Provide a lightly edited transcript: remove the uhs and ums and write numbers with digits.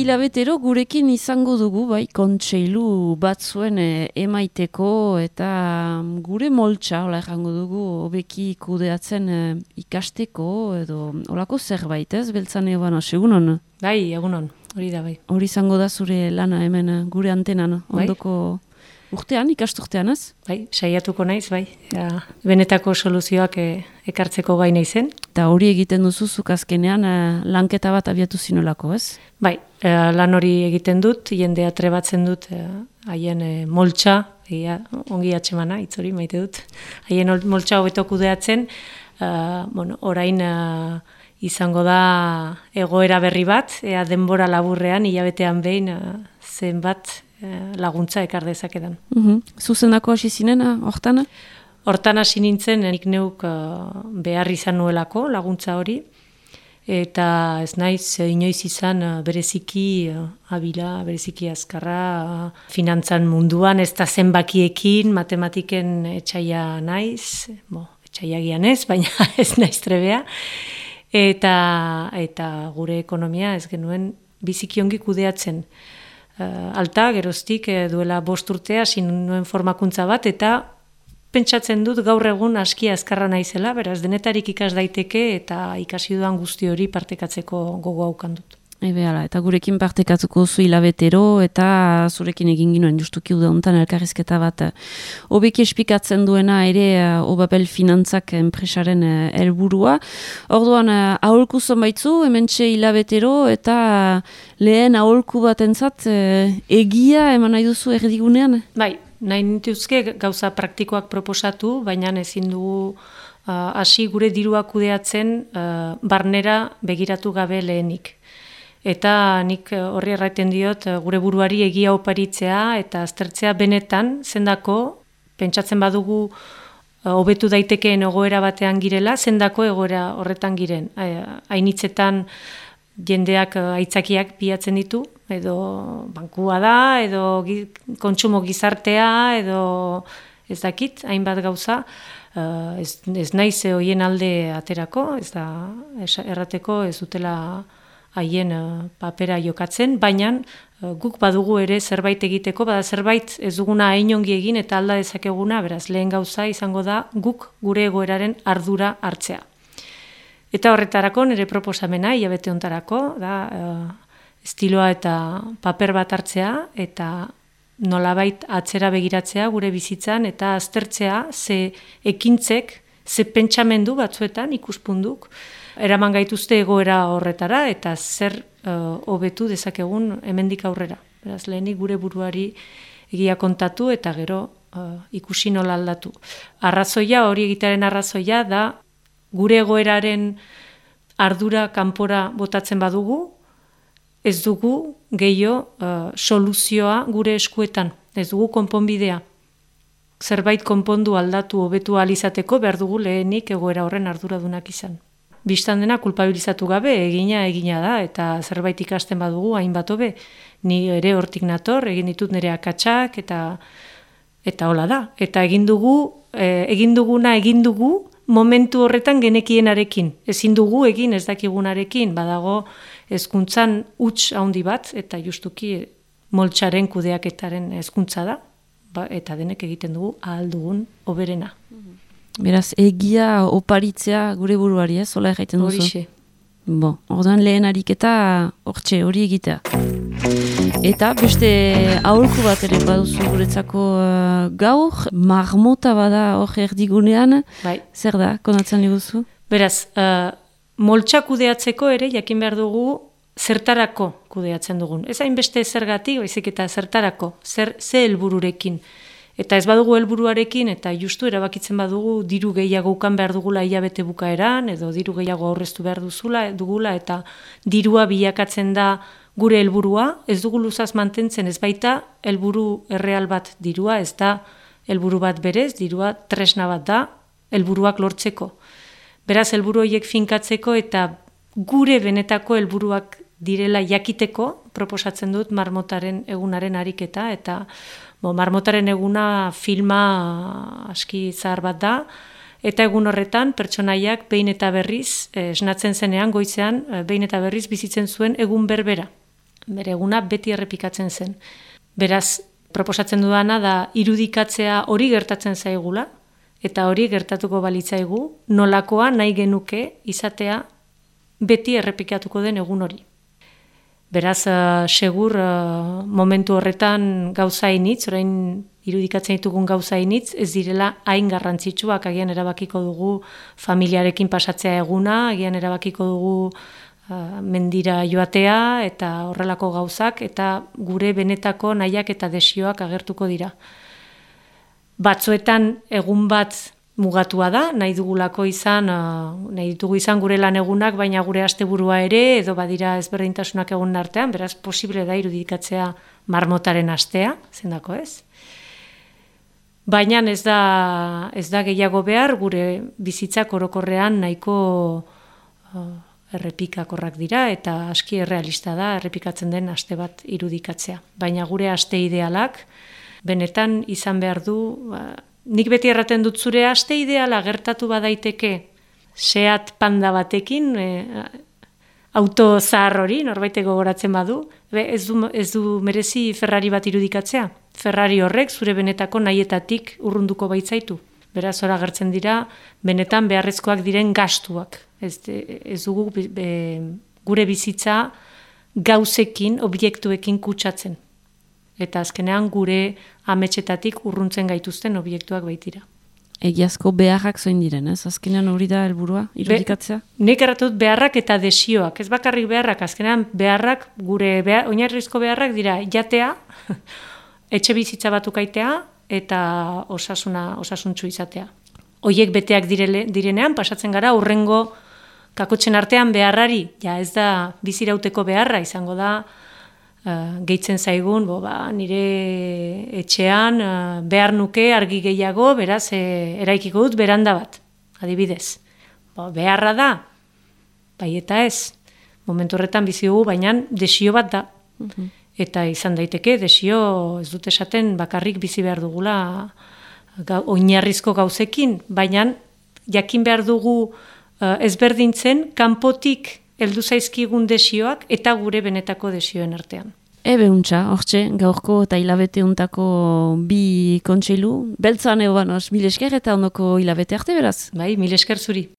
hilabetero gurekin izango dugu, bai, kontseilu batzuen emaiteko eta gure moltsa, hola errango dugu, hobeki kudeatzen ikasteko edo holako zerbait, ez, Beltzan Eobano, egunon? Bai, egunon, hori da bai. Hori izango da zure lana hemen gure antenan, ondoko urtean, ikasturtean, ez? Bai, saiatuko naiz, bai. Benetako soluzioak ekartzeko gai naizen. Eta hori egiten duzu zuk azkenean lanketa bat abiatu zinolako, ez? Bai, lan hori egiten dut, jendea trebatzen dut haien moltsa, ongi atxemana, hitz hori maite dut, haien moltsa hobeto kudeatzen, orain izango da egoera berri bat, denbora laburrean, hilabetean behin zenbat laguntza ekar dezakedan. Zuzendako hasi zinen, hortan? Hortan hasi nintzen, nik neuk behar izan nuelako laguntza hori, eta ez naiz inoiz izan bereziki abila, bereziki azkarra, finantzan munduan, ez da zenbakiekin, matematiken etxaia naiz, etxaiagian ez, baina ez naiz trebea, eta gure ekonomia ez genuen biziki ongi kudeatzen. Alta, geroztik, duela 5 urte hasi nuen formakuntza bat, eta pentsatzen dut gaur egun aski azkarra naizela, beraz denetarik ikas daiteke eta ikasi dudan guzti hori partekatzeko gogo haukan dut. Eta gurekin partekatuko zu hilabetero eta zurekin egin ginoen justuki uda hontan elkarrizketa bat hobeki espikatzen duena ere Obapel Finantzak enpresaren helburua. Orduan aholku zonbaitzu, hementxe hilabetero eta lehen aholku batentzat egia eman nahi duzu erdigunean? Bai, nahi nituzke gauza praktikoak proposatu, baina ezin dugu hasi gure dirua kudeatzen barnera begiratu gabe lehenik. Eta nik horri erraiten diot gure buruari egia oparitzea eta aztertzea benetan zendako, pentsatzen badugu hobetu daitekeen egoera batean girela, zendako egoera horretan giren. Hainitzetan jendeak aitzakiak pilatzen ditu, edo bankua da, edo kontsumo gizartea, edo ez dakit, hainbat gauza, ez naiz hoien alde aterako, ez da errateko ez dutela haien papera jokatzen, baina guk badugu ere zerbait egiteko, bada zerbait ez duguna hain ongi egin eta alda dezakeguna, beraz lehen gauza izango da guk gure egoeraren ardura hartzea. Eta horretarako nire proposamena, hilabete hontarako, da estiloa eta paper bat hartzea, eta nolabait atzera begiratzea gure bizitzan, eta aztertzea ze ekintzek, ze pentsamendu batzuetan ikuspunduk, eraman gaituzte egoera horretara eta zer hobetu dezakegun hemendik aurrera. Beraz, lehenik gure buruari egia kontatu eta gero ikusi nola aldatu. Arrazoia, hori egitearen arrazoia da gure egoeraren ardura kanpora botatzen badugu, ez dugu gehiago soluzioa gure eskuetan, ez dugu konponbidea. Zerbait konpondu aldatu hobetu ahal izateko behar dugu lehenik egoera horren arduradunak izan. Bistan dena kulpabilizatu gabe egina da eta zerbait ikasten badugu hainbat hobe. Ni ere hortik nator, egin ditut nire akatsak eta hola da. Eta egin duguna egin dugu momentu horretan genekienarekin. Ezin dugu egin ez dakigunarekin, badago hezkuntzan huts handi bat eta justuki moltsaren kudeaketaren hezkuntza da, eta denek egiten dugu ahal dugun hoberena. Beraz, egia oparitzea gure buruari, ez? Hola erraiten duzu? Horixe. Orduan lehen ariketa hortxe, hori egitea. Eta beste aholku bat ere baduzu guretzako gaur, marmota bada hor erdigunean, bai. Zer da, konatzen liguzu? Beraz, moltsa kudeatzeko ere, jakin behar dugu, zertarako kudeatzen dugun. Ez hainbeste zergatik, baizik eta zertarako, ze helbururekin. Eta ez badugu helburuarekin eta justu erabakitzen badugu diru gehiago ukan behar dugula hilabete bukaeran, edo diru gehiago aurreztu behar dugula eta dirua bilakatzen da gure helburua, ez dugu luzaz mantentzen ez baita helburu erreal bat dirua, ez da helburu bat berez, dirua tresna bat da helburuak lortzeko. Beraz helburu horiek finkatzeko eta gure benetako helburuak direla jakiteko, proposatzen dut marmotaren egunaren ariketa, eta marmotaren eguna filma aski zahar bat da, eta egun horretan pertsonaiak behin eta berriz, esnatzen zenean, goizean, behin eta berriz bizitzen zuen egun berbera. bere eguna beti errepikatzen zen. Beraz, proposatzen dudana da irudikatzea hori gertatzen zaigula, eta hori gertatuko balitzaigu, nolakoa nahi genuke izatea beti errepikatuko den egun hori. Beraz, segur momentu horretan gauza initz, orain irudikatzen ditugun gauza initz, ez direla hain garrantzitsuak, agian erabakiko dugu familiarekin pasatzea eguna, agian erabakiko dugu mendira joatea eta horrelako gauzak, eta gure benetako nahiak eta desioak agertuko dira. Batzuetan egun bat mugatua da, nahi dugulako izan, nahi ditugu izan gure lan egunak, baina gure asteburua ere, edo badira ezberdintasunak egun artean, beraz posible da irudikatzea marmotaren astea, zendako ez? Baina ez da gehiago behar, gure bizitzak orokorrean nahiko errepikakorrak dira, eta aski errealista da errepikatzen den aste bat irudikatzea. Baina gure aste idealak, benetan izan behar du, nik beti erraten dut zure aste ideala gertatu badaiteke Seat Panda batekin, auto zahar hori, norbaiteko gogoratzen badu, ez du merezi Ferrari bat irudikatzea. Ferrari horrek zure benetako nahietatik urrunduko baitzaitu. Beraz, hor agertzen dira, benetan beharrezkoak diren gastuak. Ez dugu gure bizitza gauzekin, objektuekin kutsatzen. Eta azkenean gure ametsetatik urruntzen gaituzten objektuak baitira. Egiazko beharrak zoin diren, ez? Azkenean hori da helburua irudikatzea? Nik erratut beharrak eta desioak. Ez bakarrik beharrak, azkenean beharrak, gure oinarrizko beharrak dira jatea, etxe bizitza bat ukaitea, eta osasuntsu izatea. Hoiek beteak direnean, pasatzen gara, urrengo kakotxen artean beharrari, ja ez da bizirauteko beharra, izango da, gehitzen zaigun, nire etxean behar nuke argi gehiago, beraz, eraikiko dut beranda bat, adibidez. Beharra da, bai eta ez, momentu horretan bizi dugu, baina desio bat da. Eta izan daiteke, desio ez dut esaten bakarrik bizi behar dugula oinarrizko gauzekin, baina jakin behar dugu ezberdintzen kanpotik heldu zaizkigun desioak eta gure benetako desioen artean. Untxa, hortxe, gaurko eta hilabete untako bi kontseilu, beltzan egon, mil esker eta ondoko hilabete arte beraz? Bai, mil esker zuri.